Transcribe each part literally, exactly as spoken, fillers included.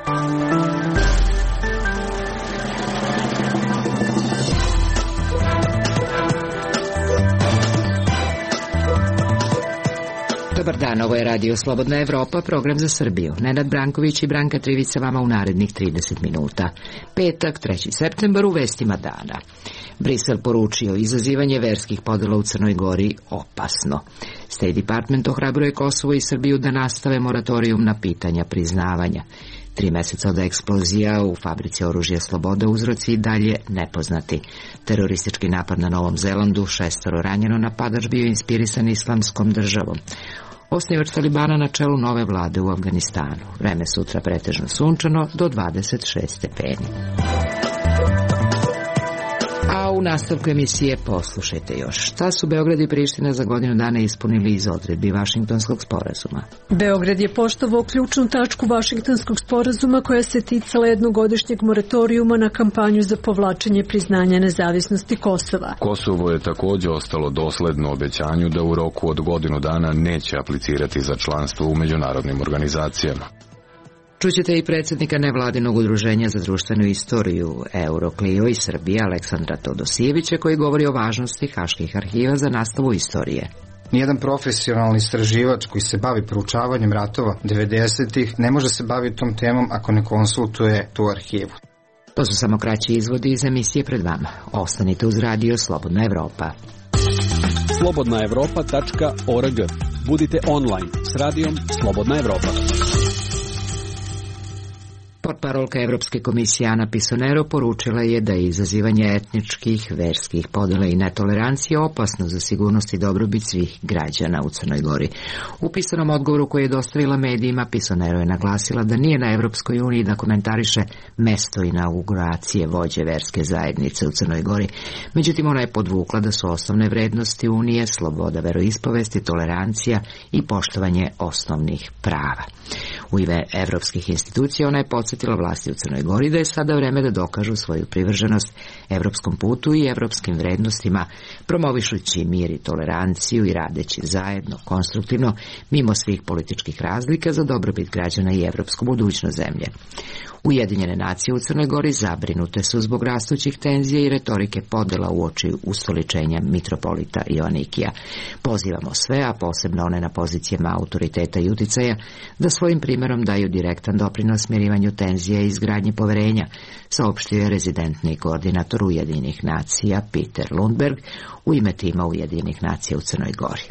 Dobar dan, ovo je Radio Slobodna Evropa, program za Srbiju. Nenad Branković i Branka Trivica vama u narednih trideset minuta. Petak, treći septembar, u vestima dana. Brisel poručio izazivanje verskih podela u Crnoj Gori opasno. State Department ohrabruje Kosovo i Srbiju da nastave moratorijum na pitanja priznavanja. Tri meseca od eksplozija u fabrici oružja Sloboda, uzroci i dalje nepoznati. Teroristički napad na Novom Zelandu, šestoro ranjeno, napadač bio inspirisan Islamskom državom. Osnivač Talibana na čelu nove vlade u Afganistanu. Vreme sutra pretežno sunčano do dvadeset šest stepeni. A u nastavku emisije poslušajte još. Šta su Beograd i Priština za godinu dana ispunili iz odredbi Vašingtonskog sporazuma? Beograd je poštovao ključnu tačku Vašingtonskog sporazuma koja se ticala jednogodišnjeg moratorijuma na kampanju za povlačenje priznanja nezavisnosti Kosova. Kosovo je također ostalo dosledno obećanju da u roku od godinu dana neće aplicirati za članstvo u međunarodnim organizacijama. Čućete i predsjednika nevladinog udruženja za društvenu istoriju Euroclio iz Srbije Aleksandra Todosijevića, koji govori o važnosti haških arhiva za nastavu istorije. Nijedan profesionalni istraživač koji se bavi proučavanjem ratova devedesetih ne može se baviti tom temom ako ne konsultuje tu arhivu. To su samo kraći izvodi iz emisije pred vama. Ostanite uz Radio Slobodna Evropa. slobodna evropa tačka org. Budite online s radijom Slobodna Evropa. Portparolka Evropske komisije Ana Pisonero poručila je da je izazivanje etničkih, verskih podela i netolerancije opasno za sigurnost i dobrobit svih građana u Crnoj Gori. U pisanom odgovoru koji je dostavila medijima, Pisonero je naglasila da nije na Evropskoj uniji da komentariše mesto inauguracije vođe verske zajednice u Crnoj Gori. Međutim, ona je podvukla da su osnovne vrednosti Unije sloboda veroispovesti, tolerancija i poštovanje osnovnih prava. U ime evropskih institucija ona je podsjetila vlasti u Crnoj Gori da je sada vreme da dokažu svoju privrženost evropskom putu i evropskim vrednostima, promovišući mir i toleranciju i radeći zajedno, konstruktivno, mimo svih političkih razlika za dobrobit građana i evropsku budućnost zemlje. Ujedinjene nacije u Crnoj Gori zabrinute su zbog rastućih tenzija i retorike podela uoči ustoličenja mitropolita Joanikija. Pozivamo sve, a posebno one na pozicijama autoriteta i uticaja, da svojim primjerom daju direktan doprinos smirivanju tenzija i izgradnji poverenja, saopštio je rezidentni koordinator Ujedinjenih nacija Peter Lundberg u ime tima Ujedinjenih nacija u Crnoj Gori.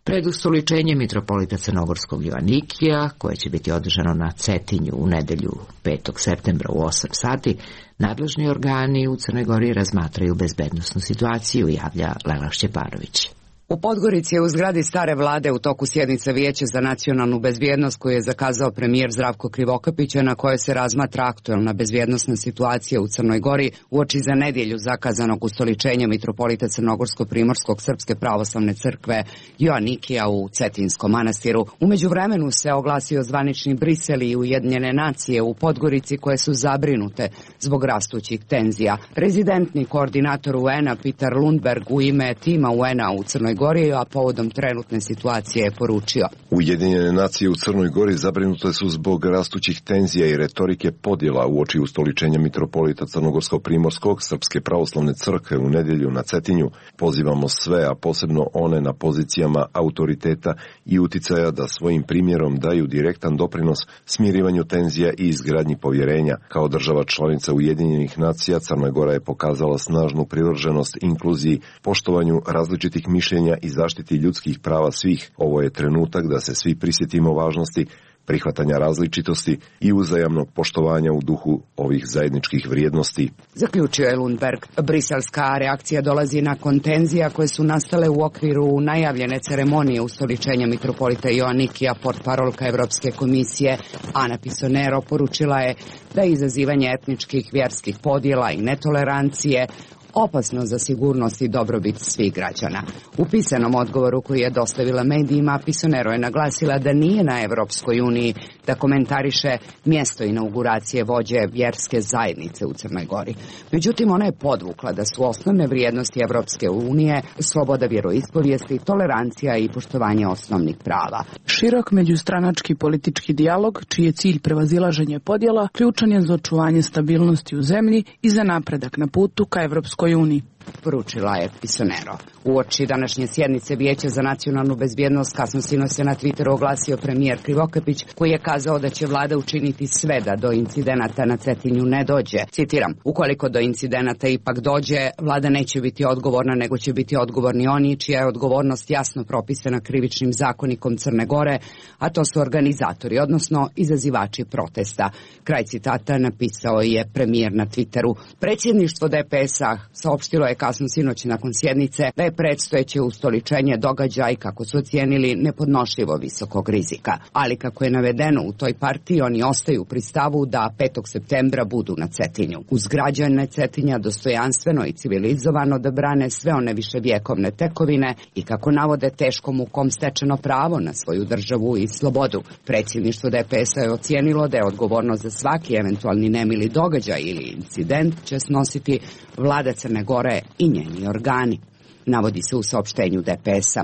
Pred ustoličenjem mitropolita Crnogorskog Joanikija, koje će biti održano na Cetinju u nedelju petog septembra u osam sati, nadležni organi u Crnoj Gori razmatraju bezbednosnu situaciju, javlja Lela Šćepanović. U Podgorici je u zgradi stare vlade u toku sjednice Vijeća za nacionalnu bezbjednost koju je zakazao premijer Zdravko Krivokapić, na kojoj se razmatra aktuelna bezbjednosna situacija u Crnoj Gori uoči za nedjelju zakazanog ustoličenja mitropolita Crnogorsko-primorskog Srpske pravoslavne crkve Joanikija u Cetinskom manastiru. U međuvremenu se oglasio zvanični Brisel i Ujedinjene nacije u Podgorici koje su zabrinute zbog rastućih tenzija. Rezidentni koordinator U N-a Peter Lundberg u ime tima U N-a u Crnoj Gori, a povodom trenutne situacije je poručio: Ujedinjene nacije u Crnoj Gori zabrinute su zbog rastućih tenzija i retorike podjela uoči ustoličenja mitropolita Crnogorsko-primorskog Srpske pravoslavne crkve u nedjelju na Cetinju. Pozivamo sve, a posebno one na pozicijama autoriteta i uticaja, da svojim primjerom daju direktan doprinos smirivanju tenzija i izgradnji povjerenja. Kao država članica Ujedinjenih nacija, Crna Gora je pokazala snažnu privrženost inkluziji, poštovanju različitih mišljenja i zaštiti ljudskih prava svih. Ovo je trenutak da se svi prisjetimo važnosti prihvatanja različitosti i uzajamnog poštovanja u duhu ovih zajedničkih vrijednosti. Zaključio je Lundberg. Briselska reakcija dolazi nakon tenzija koje su nastale u okviru najavljene ceremonije ustoličenja mitropolita Joanikija. Portparolka Evropske komisije Ana Pisonero poručila je da je izazivanje etničkih, vjerskih podjela i netolerancije opasno za sigurnost i dobrobit svih građana. U pisanom odgovoru koji je dostavila medijima, Pisonero je naglasila da nije na Evropskoj uniji da komentariše mjesto inauguracije vođe vjerske zajednice u Crnoj Gori. Međutim, ona je podvukla da su osnovne vrijednosti Evropske unije sloboda vjeroispovijesti, tolerancija i poštovanje osnovnih prava. Širok međustranački politički dijalog, čiji je cilj prevazilaženje podjela, ključan je za očuvanje stabilnosti u zemlji i za napredak na putu ka Evropskoj uniji. Poručila je Pisonero. Uoči današnje sjednice Vijeća za nacionalnu bezbjednost kasno sinoć se na Twitteru oglasio premijer Krivokapić, koji je kazao da će vlada učiniti sve da do incidenata na Cetinju ne dođe. Citiram: ukoliko do incidenata ipak dođe, vlada neće biti odgovorna, nego će biti odgovorni oni čija je odgovornost jasno propisana krivičnim zakonikom Crne Gore, a to su organizatori, odnosno izazivači protesta. Kraj citata napisao je premijer na Twitteru. Predsjedništvo D P S-a saopštilo je kasno sinoć nakon sjednice da je predstojeće ustoličenje događa i kako su ocijenili nepodnošljivo visokog rizika. Ali kako je navedeno u toj partiji, oni ostaju pri stavu da petog septembra budu na Cetinju. Uz građane Cetinja dostojanstveno i civilizovano da brane sve one viševjekovne tekovine i kako navode teškom mukom stečeno pravo na svoju državu i slobodu. Predsjedništvo D P S-a je ocijenilo da je odgovornost za svaki eventualni nemili događaj ili incident će snositi vlada Crne Gore i njeni organi, navodi se u saopštenju D P S-a.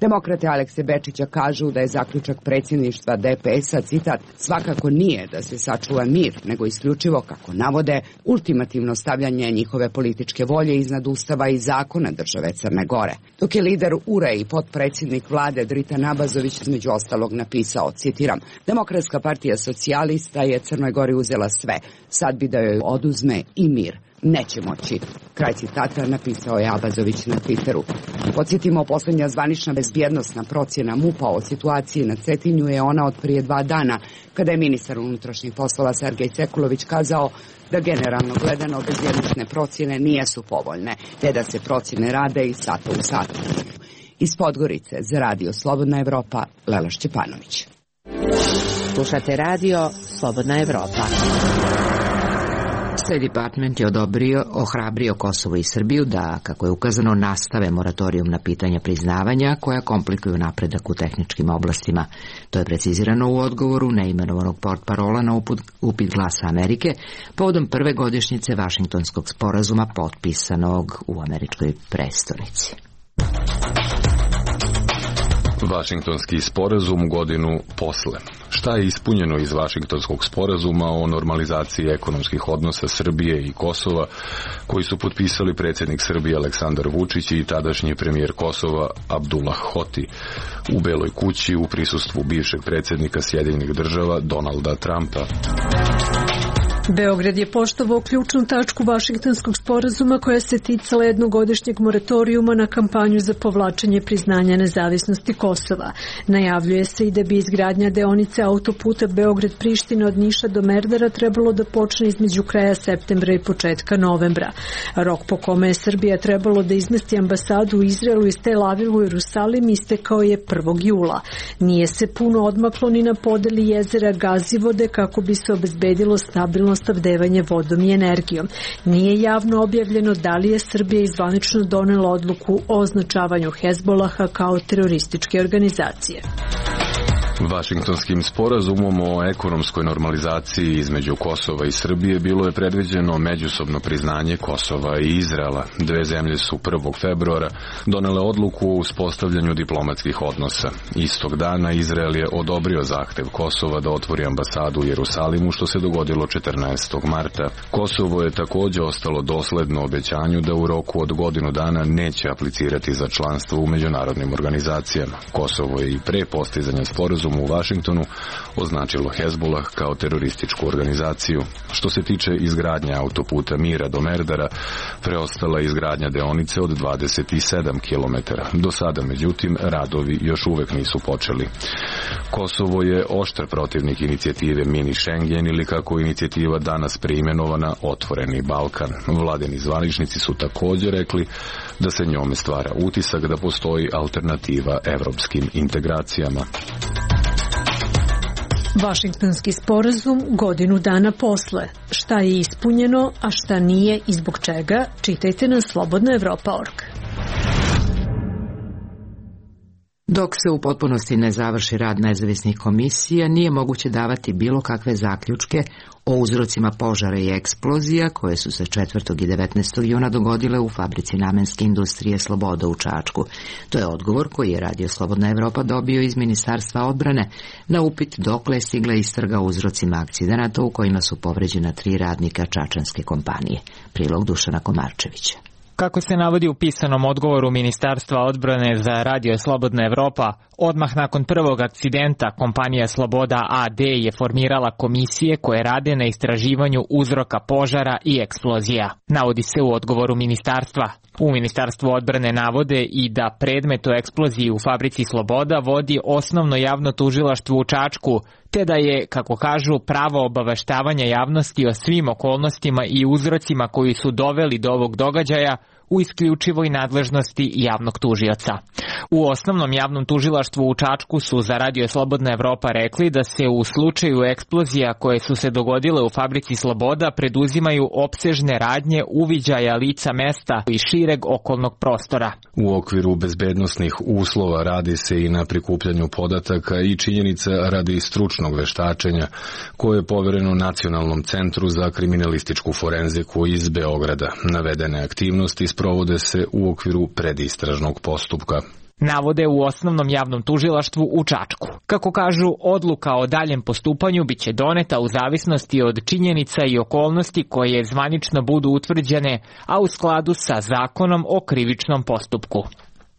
Demokrate Alekse Bečića kažu da je zaključak predsjedništva D P S-a, citat, svakako nije da se sačuva mir, nego isključivo, kako navode, ultimativno stavljanje njihove političke volje iznad ustava i zakona države Crne Gore. Dok je lider U R E i potpredsjednik vlade Dritan Abazović između ostalog napisao, citiram, Demokratska partija socijalista je Crnoj Gori uzela sve, sad bi da joj oduzme i mir. Neće moći. Kraj citata napisao je Abazović na Twitteru. Podsjetimo, posljednja zvanična bezbjednosna procjena MUP-a o situaciji na Cetinju je ona od prije dva dana, kada je ministar unutrašnjih poslova Sergej Sekulović kazao da generalno gledano bezbjednosne procjene nijesu povoljne, te da se procjene rade iz sata u sat. Iz Podgorice za radio Slobodna Evropa, Lela Šćepanović. Slušate radio Slobodna Evropa. State Department je odobrio, ohrabrio Kosovo i Srbiju da, kako je ukazano, nastave moratorijum na pitanja priznavanja koja komplikuju napredak u tehničkim oblastima. To je precizirano u odgovoru neimenovanog portparola na uput, upit Glasa Amerike povodom prve godišnjice Vašingtonskog sporazuma potpisanog u američkoj prestonici. Vašingtonski sporazum godinu posle. Šta je ispunjeno iz Vašingtonskog sporazuma o normalizaciji ekonomskih odnosa Srbije i Kosova, koji su potpisali predsjednik Srbije Aleksandar Vučić i tadašnji premijer Kosova Abdullah Hoti u Beloj kući u prisustvu bivšeg predsjednika Sjedinjenih država Donalda Trumpa? Beograd je poštovao ključnu tačku Vašingtonskog sporazuma koja se ticala jednogodišnjeg moratorijuma na kampanju za povlačenje priznanja nezavisnosti Kosova. Najavljuje se i da bi izgradnja deonice autoputa Beograd-Priština od Niša do Merdara trebalo da počne između kraja septembra i početka novembra. Rok po kome je Srbija trebalo da izmesti ambasadu u Izraelu iz Tel Avivu u Jerusalim istekao je prvog jula. Nije se puno odmaklo ni na podeli jezera Gazivode kako bi se obezbedilo stabilno snabdevanje vodom i energijom. Nije javno objavljeno da li je Srbija izvanično donela odluku o označavanju Hezbolaha kao terorističke organizacije. Vašingtonskim sporazumom o ekonomskoj normalizaciji između Kosova i Srbije bilo je predviđeno međusobno priznanje Kosova i Izraela. Dve zemlje su prvog februara donele odluku o uspostavljanju diplomatskih odnosa. Istog dana Izrael je odobrio zahtev Kosova da otvori ambasadu u Jerusalimu, što se dogodilo četrnaestog marta. Kosovo je također ostalo dosledno obećanju da u roku od godinu dana neće aplicirati za članstvo u međunarodnim organizacijama. Kosovo je i pre postizanja sporazuma u Vašingtonu označilo Hezbolah kao terorističku organizaciju. Što se tiče izgradnje autoputa Mira do Merdara, preostala je izgradnja deonice od dvadeset sedam kilometara. Do sada, međutim, radovi još uvek nisu počeli. Kosovo je oštar protivnik inicijative Mini Schengen ili, kako inicijativa danas preimenovana, Otvoreni Balkan. Vladini zvaničnici su također rekli da se njome stvara utisak da postoji alternativa evropskim integracijama. Vašingtonski sporazum godinu dana posle. Šta je ispunjeno, a šta nije i zbog čega, čitajte na slobodna evropa tačka org. Dok se u potpunosti ne završi rad nezavisnih komisija, nije moguće davati bilo kakve zaključke o uzrocima požara i eksplozija koje su se četvrtog i devetnaestog juna dogodile u fabrici namenske industrije Sloboda u Čačku. To je odgovor koji je Radio Slobodna Evropa dobio iz Ministarstva odbrane na upit dokle je stigla istraga o uzrocima akcidenata u kojima su povređena tri radnika čačanske kompanije. Prilog Dušana Komarčevića. Kako se navodi u pisanom odgovoru Ministarstva odbrane za Radio Slobodna Evropa, odmah nakon prvog akcidenta kompanija Sloboda A D je formirala komisije koje rade na istraživanju uzroka požara i eksplozija. Navodi se u odgovoru ministarstva. U Ministarstvu odbrane navode i da predmet o eksploziji u fabrici Sloboda vodi osnovno javno tužilaštvo u Čačku, te da je, kako kažu, pravo obaveštavanja javnosti o svim okolnostima i uzrocima koji su doveli do ovog događaja u isključivoj nadležnosti javnog tužioca. U osnovnom javnom tužilaštvu u Čačku su za Radio Slobodna Evropa rekli da se u slučaju eksplozija koje su se dogodile u fabrici Sloboda preduzimaju opsežne radnje uviđaja lica mesta i šireg okolnog prostora. U okviru bezbednosnih uslova radi se i na prikupljanju podataka i činjenica radi stručnog veštačenja koje je povereno Nacionalnom centru za kriminalističku forenziku iz Beograda. Navedene aktivnosti sprovode se u okviru predistražnog postupka. Navode u osnovnom javnom tužilaštvu u Čačku. Kako kažu, odluka o daljem postupanju biće doneta u zavisnosti od činjenica i okolnosti koje zvanično budu utvrđene, a u skladu sa zakonom o krivičnom postupku.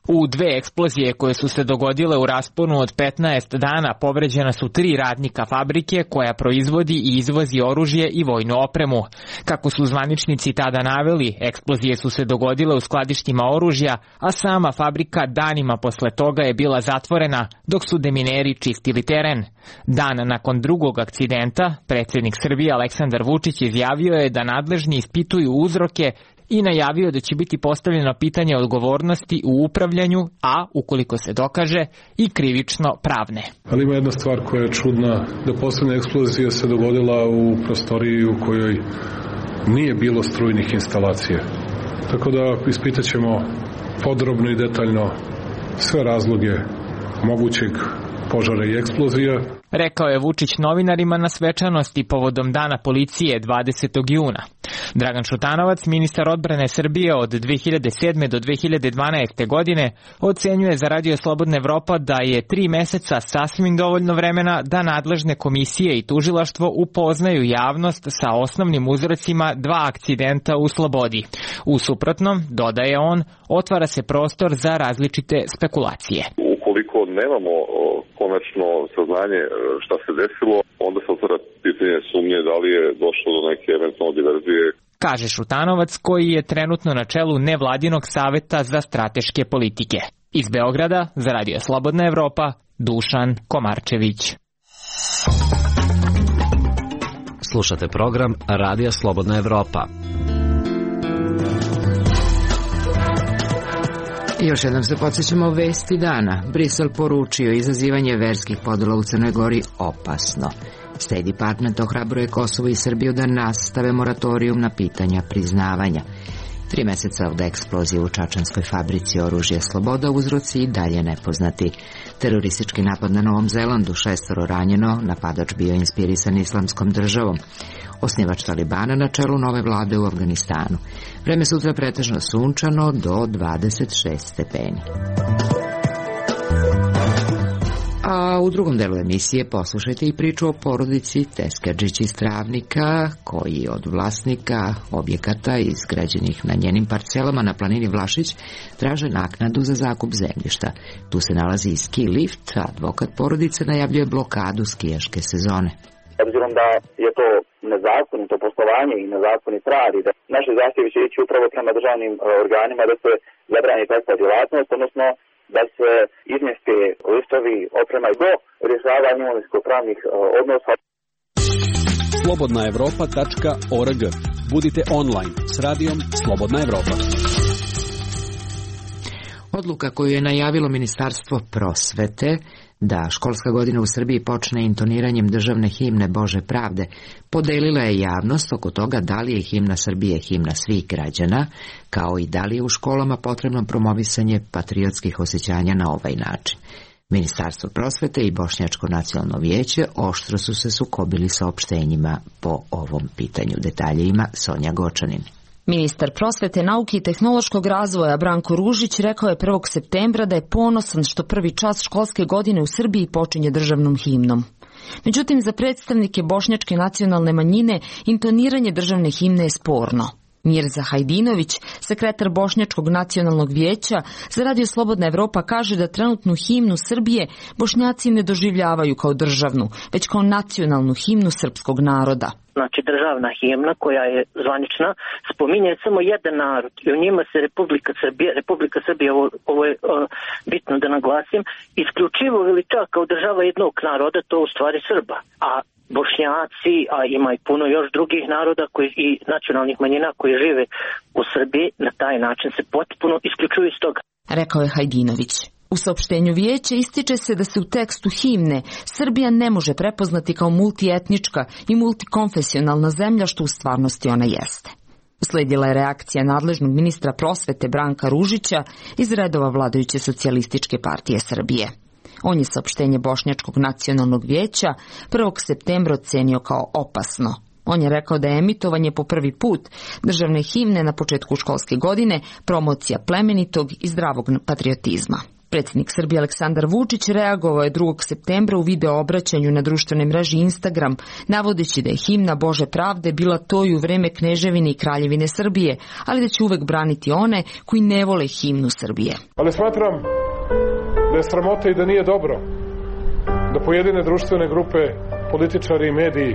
U dve eksplozije koje su se dogodile u rasponu od petnaest dana povređena su tri radnika fabrike koja proizvodi i izvozi oružje i vojnu opremu. Kako su zvaničnici tada naveli, eksplozije su se dogodile u skladištima oružja, a sama fabrika danima posle toga je bila zatvorena dok su demineri čistili teren. Dan nakon drugog akcidenta, predsjednik Srbije Aleksandar Vučić izjavio je da nadležni ispituju uzroke i najavio da će biti postavljeno pitanje odgovornosti u upravljanju, a, ukoliko se dokaže, i krivično pravne. Ali ima jedna stvar koja je čudna, da poslednja eksplozija se dogodila u prostoriji u kojoj nije bilo strujnih instalacija. Tako da ispitat ćemo podrobno i detaljno sve razloge mogućeg požara i eksplozija. Rekao je Vučić novinarima na svečanosti povodom Dana policije dvadesetog juna. Dragan Šutanovac, ministar odbrane Srbije od dve hiljade sedme do dve hiljade dvanaeste. godine, ocenjuje za Radio Slobodna Evropa da je tri meseca sasvim dovoljno vremena da nadležne komisije i tužilaštvo upoznaju javnost sa osnovnim uzrocima dva akcidenta u Slobodi. U suprotnom, dodaje on, otvara se prostor za različite spekulacije. Ukoliko nemamo konačno saznanje šta se desilo, onda se otvara pitanje sumnje da li je došlo do neke eventualne diverzije. Kaže Šutanovac, koji je trenutno na čelu nevladinog saveta za strateške politike. Iz Beograda, za Radio Slobodna Evropa, Dušan Komarčević. Slušate program Radija Slobodna Evropa. I još jednom se podsjećamo vesti dana. Brisel poručio izazivanje verskih podela u Crnoj Gori opasno. State Department ohrabruje Kosovo i Srbiju da nastave moratorijum na pitanja priznavanja. Tri meseca od eksplozije u čačanskoj fabrici oružja Sloboda, uzroci i dalje nepoznati. Teroristički napad na Novom Zelandu, šestoro ranjeno, napadač bio inspirisan islamskom državom. Osnivač Talibana na čelu nove vlade u Afganistanu. Vreme sutra pretežno sunčano do dvadeset šest stepeni. A u drugom delu emisije poslušajte i priču o porodici Teskedžić iz Travnika, koji od vlasnika objekata izgrađenih na njenim parcelama na planini Vlašić traže naknadu za zakup zemljišta. Tu se nalazi i ski lift, a advokat porodice najavljuje blokadu skijaške sezone. Obzirom da je to nezakonito poslovanje i nezakonit rad i da naše zahtjevi će ići upravo prema državnim organima da se zabrani takva djelatnost, odnosno da se izmjeste listovi oprema do rješavanja imovinsko-pravnih odnosa. slobodna evropa tačka org. Budite online s radijom Slobodna Evropa. Odluka koju je najavilo Ministarstvo prosvete da školska godina u Srbiji počne intoniranjem državne himne Bože pravde podelila je javnost oko toga da li je himna Srbije himna svih građana, kao i da li je u školama potrebno promovisanje patriotskih osjećanja na ovaj način. Ministarstvo prosvete i Bošnjačko nacionalno vijeće oštro su se sukobili saopštenjima po ovom pitanju. Detalje ima Sonja Gočanin. Ministar prosvete, nauke i tehnološkog razvoja Branko Ružić rekao je prvog septembra da je ponosan što prvi čas školske godine u Srbiji počinje državnom himnom. Međutim, za predstavnike Bošnjačke nacionalne manjine intoniranje državne himne je sporno. Mirza Hajdinović, sekretar Bošnjačkog nacionalnog vijeća, za Radio Slobodna Evropa kaže da trenutnu himnu Srbije Bošnjaci ne doživljavaju kao državnu, već kao nacionalnu himnu srpskog naroda. Znači državna himna koja je zvanična spominje samo jedan narod i u njima se Republika Srbija, Republika Srbija, ovo, ovo je uh, bitno da naglasim, isključivo veliča kao država jednog naroda, to u stvari Srba. A Bošnjaci, a ima i puno još drugih naroda koji, i nacionalnih manjina koji žive u Srbiji, na taj način se potpuno isključuju iz toga. Rekao je Hajdinović. U saopštenju vijeća ističe se da se u tekstu himne Srbija ne može prepoznati kao multietnička i multikonfesionalna zemlja, što u stvarnosti ona jeste. Usledila je reakcija nadležnog ministra prosvete Branka Ružića iz redova vladajuće socijalističke partije Srbije. On je saopštenje Bošnjačkog nacionalnog vijeća prvog septembra ocenio kao opasno. On je rekao da je emitovanje po prvi put državne himne na početku školske godine promocija plemenitog i zdravog patriotizma. Predsjednik Srbije Aleksandar Vučić reagovao je drugog septembra u video obraćanju na društvenoj mreži Instagram, navodeći da je himna Bože pravde bila to i u vreme Kneževine i Kraljevine Srbije, ali da će uvek braniti one koji ne vole himnu Srbije. Ali smatram da je sramota i da nije dobro da pojedine društvene grupe, političari i mediji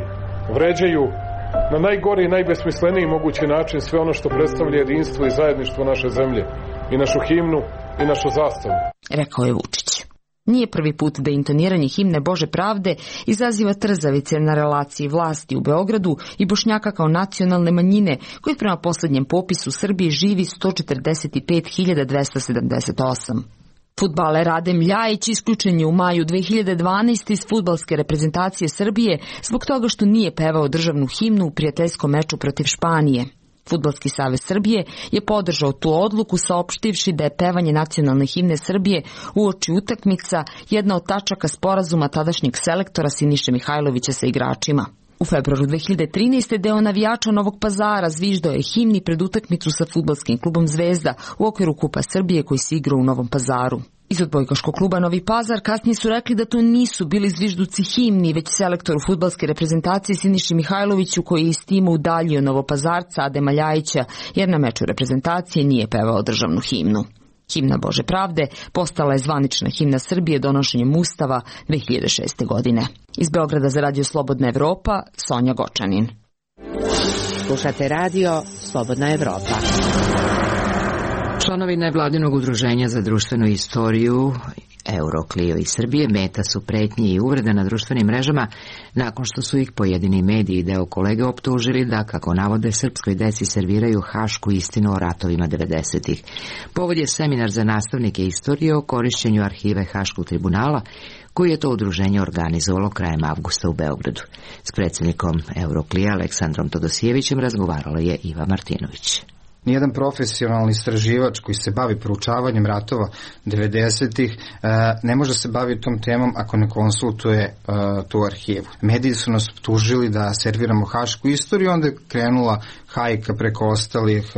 vređaju na najgori i najbesmisleniji mogući način sve ono što predstavlja jedinstvo i zajedništvo naše zemlje, i našu himnu i našu zastavu. Rekao je Vučić. Nije prvi put da intoniranje himne Bože pravde izaziva trzavice na relaciji vlasti u Beogradu i Bošnjaka kao nacionalne manjine, koji prema posljednjem popisu u Srbiji živi sto četrdeset pet hiljada dvesta sedamdeset osam. Fudbaler Adem Ljajić isključen je u maju dve hiljade dvanaeste iz fudbalske reprezentacije Srbije zbog toga što nije pevao državnu himnu u prijateljskom meču protiv Španije. Fudbalski savez Srbije je podržao tu odluku saopštivši da je pevanje nacionalne himne Srbije uoči utakmica jedna od tačaka sporazuma tadašnjeg selektora Siniše Mihajlovića sa igračima. U februaru dve hiljade trinaeste. deo navijača Novog Pazara zviždao je himni pred utakmicu sa fudbalskim klubom Zvezda u okviru Kupa Srbije koji se igrao u Novom Pazaru. Iz odbojkaškog kluba Novi Pazar kasnije su rekli da to nisu bili zvižduci himni, već selektoru fudbalske reprezentacije Siniši Mihajloviću koji je iz tima udaljio Novopazarca Adema Ljajića jer na meču reprezentacije nije pevao državnu himnu. Himna Bože pravde postala je zvanična himna Srbije donošenjem Ustava dve hiljade šeste. godine. Iz Beograda za Radio Slobodna Evropa, Sonja Gočanin. Slušate Radio Slobodna Evropa. Članovi nevladinog udruženja za društvenu istoriju Euroklio iz Srbije meta su pretnje i uvrede na društvenim mrežama nakon što su ih pojedini mediji i deo kolege optužili da, kako navode, srpskoj deci serviraju hašku istinu o ratovima devedesetih. Povod je seminar za nastavnike istorije o korišćenju arhive Haškog tribunala koji je to udruženje organizovalo krajem avgusta u Beogradu. S predsjednikom Euroklija Aleksandrom Todosijevićem razgovarala je Iva Martinović. Nijedan profesionalni istraživač koji se bavi proučavanjem ratova devedesetih ne može se baviti tom temom ako ne konsultuje tu arhivu. Mediji su nas optužili da serviramo hašku istoriju, onda je krenula hajka preko ostalih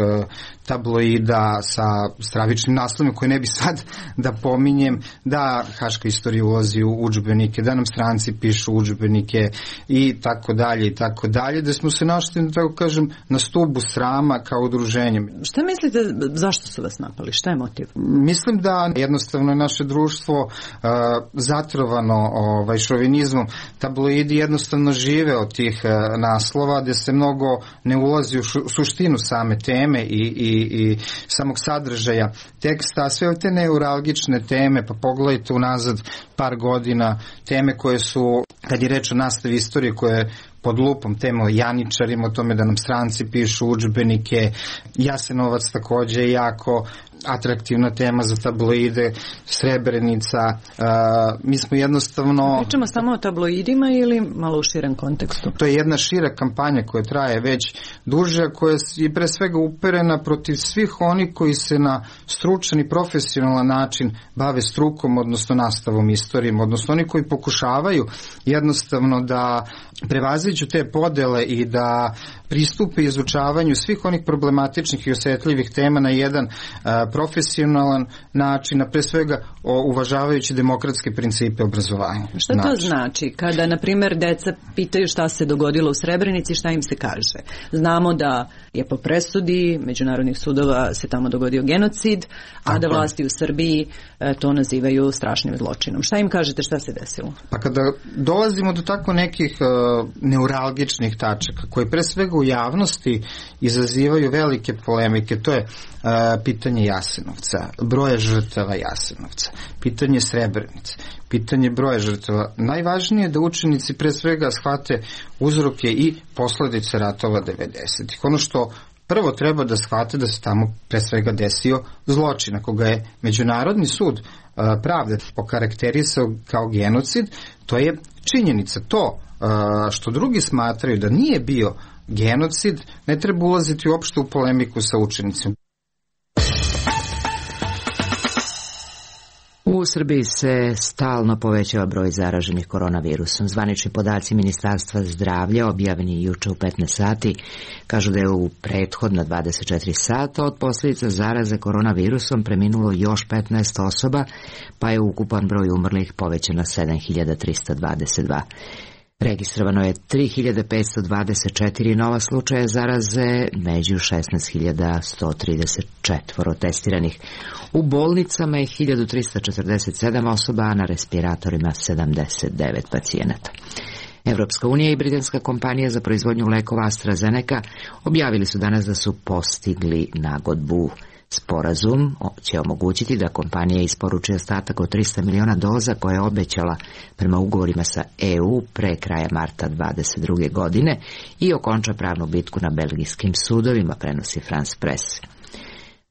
tabloida sa stravičnim naslovima koje ne bi sad da pominjem, da haška istorija ulazi u udžbenike, da nam stranci pišu udžbenike i tako dalje i tako dalje, da smo se našli, tako kažem, na stubu srama kao udruženje. Šta mislite, zašto su vas napali? Šta je motiv? Mislim da jednostavno je naše društvo uh, zatrovano ovaj, šovinizmom. Tabloidi jednostavno žive od tih uh, naslova gde se mnogo ne ulazi u šu, suštinu same teme i, i, i samog sadržaja teksta, a sve te neuralgične teme, pa pogledajte unazad par godina, teme koje su, kad je reč o nastavi istorije, koje pod lupom tema o janičarima, o tome da nam stranci pišu udžbenike. Jasenovac takođe jako atraktivna tema za tabloide, Srebrenica. Uh, mi smo jednostavno... Pričamo samo o tabloidima ili malo u širem kontekstu? To je jedna šira kampanja koja traje već duže, koja je pre svega uperena protiv svih onih koji se na stručan i profesionalan način bave strukom, odnosno nastavom istorijom, odnosno oni koji pokušavaju jednostavno da prevaziđu te podele i da pristupe izučavanju svih onih problematičnih i osetljivih tema na jedan a, profesionalan način, a pre svega o, uvažavajući demokratske principe obrazovanja. Šta to način. Znači? Kada, na primjer, deca pitaju šta se dogodilo u Srebrenici, šta im se kaže? Znamo da je po presudi međunarodnih sudova se tamo dogodio genocid, a Tako. da vlasti u Srbiji e, to nazivaju strašnim zločinom. Šta im kažete šta se desilo? Pa kada dolazimo do tako nekih e, neuralgičnih tačaka, koje pre svega u javnosti izazivaju velike polemike, to je uh, pitanje Jasenovca, broja žrtava Jasenovca, pitanje Srebrenice, pitanje broja žrtava. Najvažnije je da učenici pre svega shvate uzroke i posledice ratova devedesetih. Ono što prvo treba da shvate da se tamo pre svega desio zločin, ako ga je Međunarodni sud uh, pravde okarakterisao kao genocid, to je činjenica. To uh, što drugi smatraju da nije bio genocid, ne treba ulaziti uopšte u polemiku sa učenicima. U Srbiji se stalno povećava broj zaraženih koronavirusom. Zvanični podaci Ministarstva zdravlja, objavljeni juče u petnaest sati, kažu da je u prethodna dvadeset četiri sata od posljedica zaraze koronavirusom preminulo još petnaest osoba, pa je ukupan broj umrlih povećan na sedam hiljada trista dvadeset dva. Registrovano je tri hiljade petsto dvadeset četiri nova slučaja zaraze, među šesnaest hiljada sto trideset četiri testiranih. U bolnicama je hiljadu trista četrdeset sedam osoba, a na respiratorima sedamdeset devet pacijenata. Evropska unija i britanska kompanija za proizvodnju lekova AstraZeneca objavili su danas da su postigli nagodbu. Sporazum će omogućiti da kompanija isporuči ostatak od trista miliona doza koje je obećala prema ugovorima sa E U pre kraja marta dvadeset druge godine i okonča pravnu bitku na belgijskim sudovima, prenosi France Press.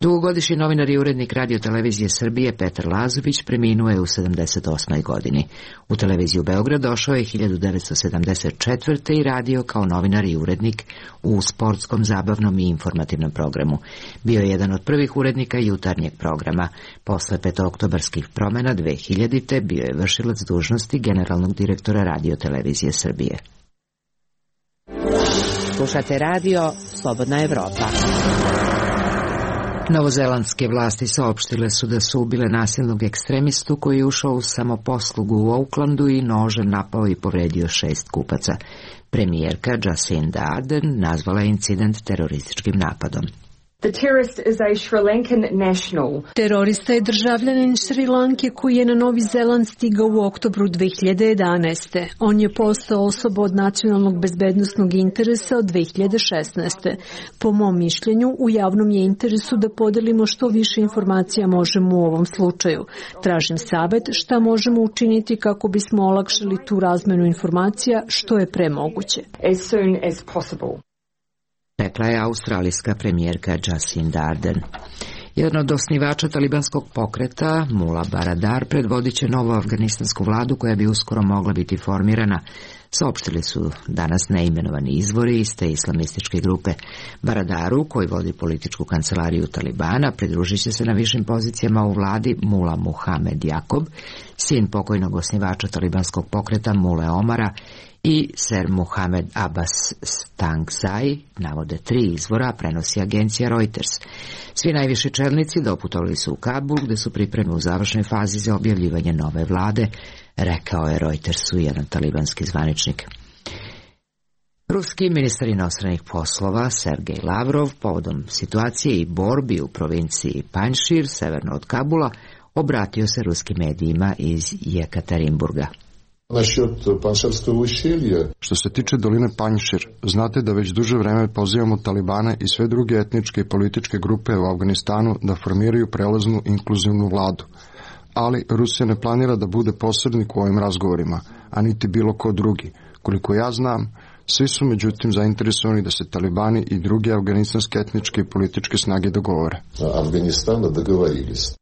Dugogodišnji novinar i urednik Radio televizije Srbije Petar Lazović preminuo je u sedamdeset osmoj godini. U televiziju Beograd došao je hiljadu devetsto sedamdeset četvrte i radio kao novinar i urednik u sportskom, zabavnom i informativnom programu. Bio je jedan od prvih urednika jutarnjeg programa. Posle petooktobarskih promena dve hiljadite bio je vršilac dužnosti generalnog direktora Radio televizije Srbije. Slušate radio Slobodna Evropa. Novozelandske vlasti saopštile su da su ubile nasilnog ekstremistu koji je ušao u samoposlugu u Aucklandu i nožem napao i povredio šest kupaca. Premijerka Jacinda Ardern nazvala je incident terorističkim napadom. The terrorist is a Sri Lankan national. Terorista je državljanin Šri Lanke koji je na Novi Zeland stigao u oktobru dve hiljade jedanaeste. On je postao osoba od nacionalnog bezbednosnog interesa od dve hiljade šesnaeste. Po mom mišljenju, u javnom je interesu da podelimo što više informacija možemo u ovom slučaju. Tražim savet šta možemo učiniti kako bismo olakšali tu razmenu informacija što je pre moguće. As soon as possible. Rekla je australijska premijerka Jacinda Ardern. Jedan od osnivača talibanskog pokreta, Mula Baradar, predvodit će novu afganistansku vladu koja bi uskoro mogla biti formirana. Saopštili su danas neimenovani izvori iz te islamističke grupe. Baradaru, koji vodi političku kancelariju Talibana, pridružit će se na višim pozicijama u vladi Mula Muhamed Jakob, sin pokojnog osnivača talibanskog pokreta Mule Omara, i Ser Muhamed Abbas Stangzai, navode tri izvora, prenosi agencija Reuters. Svi najviši čelnici doputovali su u Kabul, gde su pripreme u završnoj fazi za objavljivanje nove vlade, rekao je Reutersu jedan talibanski zvaničnik. Ruski ministar inostranih poslova Sergej Lavrov povodom situacije i borbi u provinciji Panjšir, severno od Kabula, obratio se ruskim medijima iz Jekaterinburga. Što se tiče doline Panjšir, znate da već duže vreme pozivamo Talibane i sve druge etničke i političke grupe u Afganistanu da formiraju prelaznu inkluzivnu vladu. Ali Rusija ne planira da bude posrednik u ovim razgovorima, a niti bilo ko drugi. Koliko ja znam, Svi su međutim zainteresovani da se talibani i druge afganistanske etničke i političke snage dogovore. Afganistana dogovorili se.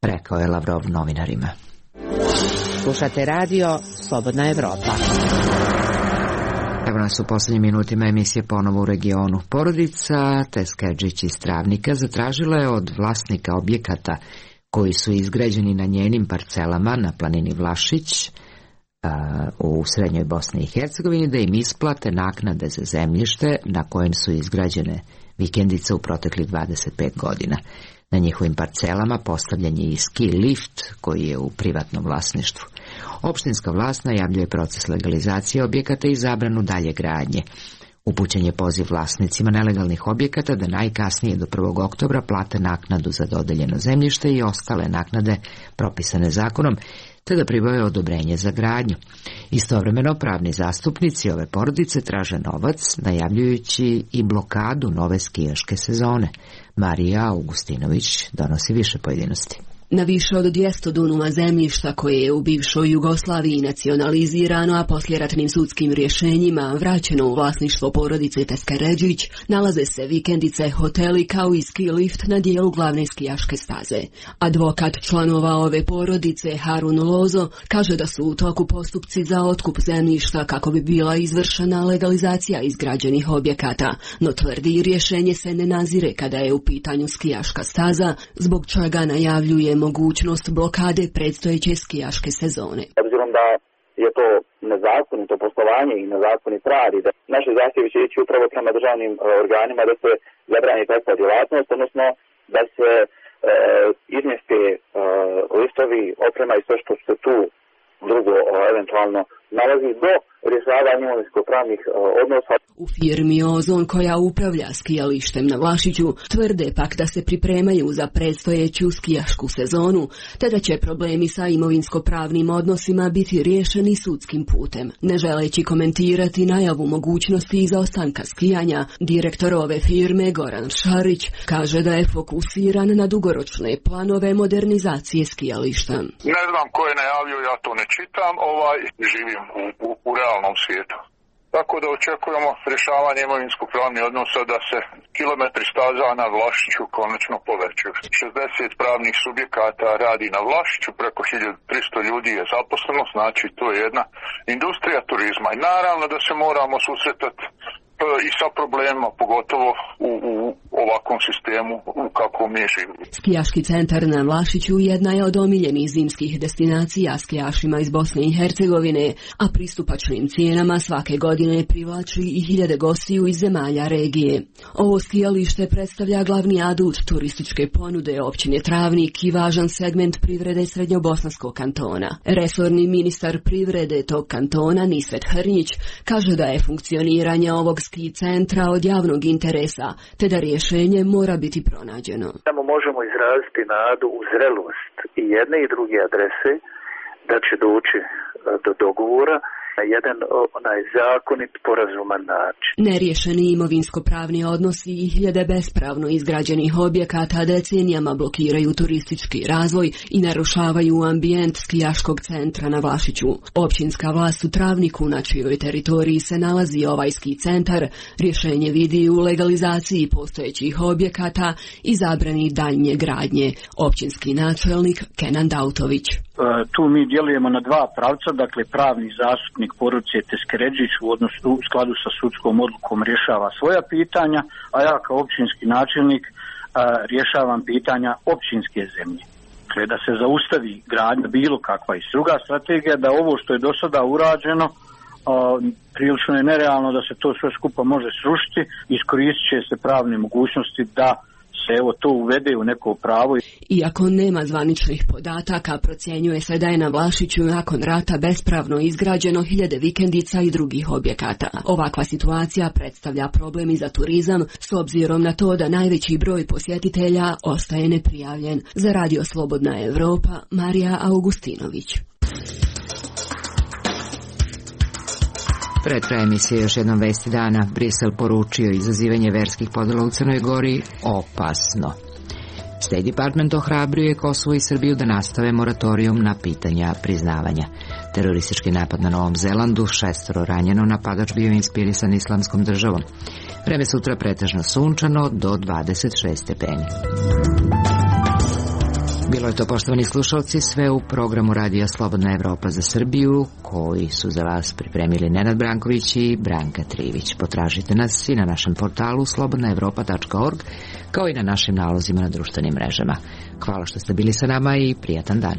Rekao je Lavrov novinarima. Slušate radio Slobodna Evropa. Evo nas u poslednjim minutima emisije ponovo u regionu. Porodica Teskedžić iz Travnika zatražila je od vlasnika objekata koji su izgrađeni na njenim parcelama na planini Vlašić u srednjoj Bosni i Hercegovini da im isplate naknade za zemljište na kojem su izgrađene vikendice u proteklih dvadeset pet godina. Na njihovim parcelama postavljen je i ski lift koji je u privatnom vlasništvu. Opštinska vlast najavljuje proces legalizacije objekata i zabranu dalje gradnje. Upućen je poziv vlasnicima nelegalnih objekata da najkasnije do prvog oktobra plate naknadu za dodeljeno zemljište i ostale naknade propisane zakonom, te da pribave odobrenje za gradnju. Istovremeno pravni zastupnici ove porodice traže novac, najavljujući i blokadu nove skijaške sezone. Marija Augustinović donosi više pojedinosti. Na više od dvjesto dunuma zemljišta koje je u bivšoj Jugoslaviji nacionalizirano, a poslijeratnim sudskim rješenjima vraćeno u vlasništvo porodice Teskedžić, nalaze se vikendice, hoteli kao i ski lift na dijelu glavne skijaške staze. Advokat članova ove porodice Harun Lozo kaže da su u toku postupci za otkup zemljišta kako bi bila izvršena legalizacija izgrađenih objekata, no tvrdi rješenje se ne nazire kada je u pitanju skijaška staza, zbog čega najavljuje mogućnost blokade predstojeće skijaške sezone. Obzirom da je to nezakonito poslovanje i nezakonit rad i da naše zahtjevi će ići upravo prema državnim organima da se zabrani takva djelatnost, odnosno da se e, izmjeste e, listovi, oprema i sve što se tu drugo o, eventualno nalazi do rješavanja imovinsko-pravnih odnosa. U firmi Ozon koja upravlja skijalištem na Vlašiću tvrde pak da se pripremaju za predstojeću skijašku sezonu, te da će problemi sa imovinsko-pravnim odnosima biti riješeni sudskim putem. Ne želeći komentirati najavu mogućnosti izostanka skijanja, direktor ove firme Goran Šarić kaže da je fokusiran na dugoročne planove modernizacije skijališta. Ne znam ko je najavio, ja to ne čitam, ovaj, živim u, u, u realnom svijetu. Tako da očekujemo rješavanje imovinsko-pravnih odnosa da se kilometri staza na Vlašiću konačno povećaju. šezdeset pravnih subjekata radi na Vlašiću, preko hiljadu tristo ljudi je zaposleno, znači to je jedna industrija turizma. I naravno da se moramo susretati i sa problemima, pogotovo u, u ovakvom sistemu u kakvom mi živimo. Skijaški centar na Vlašiću jedna je od omiljenih zimskih destinacija skijašima iz Bosne i Hercegovine, a pristupačnim cijenama svake godine privlači i hiljade gostiju iz zemalja regije. Ovo skijalište predstavlja glavni adut turističke ponude općine Travnik i važan segment privrede Srednjobosanskog kantona. Resorni ministar privrede tog kantona Nisvet Hrnjić kaže da je funkcioniranje ovog ski centra od javnog interesa, te da rješenje mora biti pronađeno. Samo možemo izraziti nadu u zrelost i jedne i druge adrese da će doći do dogovora na jedan onaj zakonit, porazuman način. Neriješeni imovinsko-pravni odnosi i hiljade bespravno izgrađenih objekata decenijama blokiraju turistički razvoj i narušavaju ambijent skijaškog centra na Vlašiću. Općinska vlast u Travniku, na čijoj teritoriji se nalazi ovaj ski centar, rješenje vidi u legalizaciji postojećih objekata i zabrani daljnje gradnje. Općinski načelnik Kenan Dautović. Tu mi djelujemo na dva pravca, dakle pravni zastupnik porodice Teskedžić u odnosu u skladu sa sudskom odlukom rješava svoja pitanja, a ja kao općinski načelnik a, rješavam pitanja općinske zemlje. Dakle, da se zaustavi gradnja bilo kakva i druga strategija, da ovo što je do sada urađeno a, prilično je nerealno da se to sve skupa može srušiti, iskoristit će se pravne mogućnosti da se evo to uvede u neko pravo. Iako nema zvaničnih podataka, procjenjuje se da je na Vlašiću nakon rata bespravno izgrađeno hiljade vikendica i drugih objekata. Ovakva situacija predstavlja problem i za turizam, s obzirom na to da najveći broj posjetitelja ostaje neprijavljen. Za Radio Slobodna Evropa, Marija Augustinović. Pred kraj emisije još jednom vesti dana. Brisel poručio izazivanje verskih podela u Crnoj Gori opasno. State Department ohrabrio je Kosovo i Srbiju da nastave moratorijum na pitanja priznavanja. Teroristički napad na Novom Zelandu, šestoro ranjeno, napadač bio inspirisan Islamskom državom. Vreme sutra pretežno sunčano do dvadeset šest stepeni. Bilo je to, poštovani slušalci, sve u programu Radija Slobodna Evropa za Srbiju, koji su za vas pripremili Nenad Branković i Branka Trivić. Potražite nas i na našem portalu slobodna evropa tačka org, kao i na našim nalozima na društvenim mrežama. Hvala što ste bili sa nama i prijatan dan.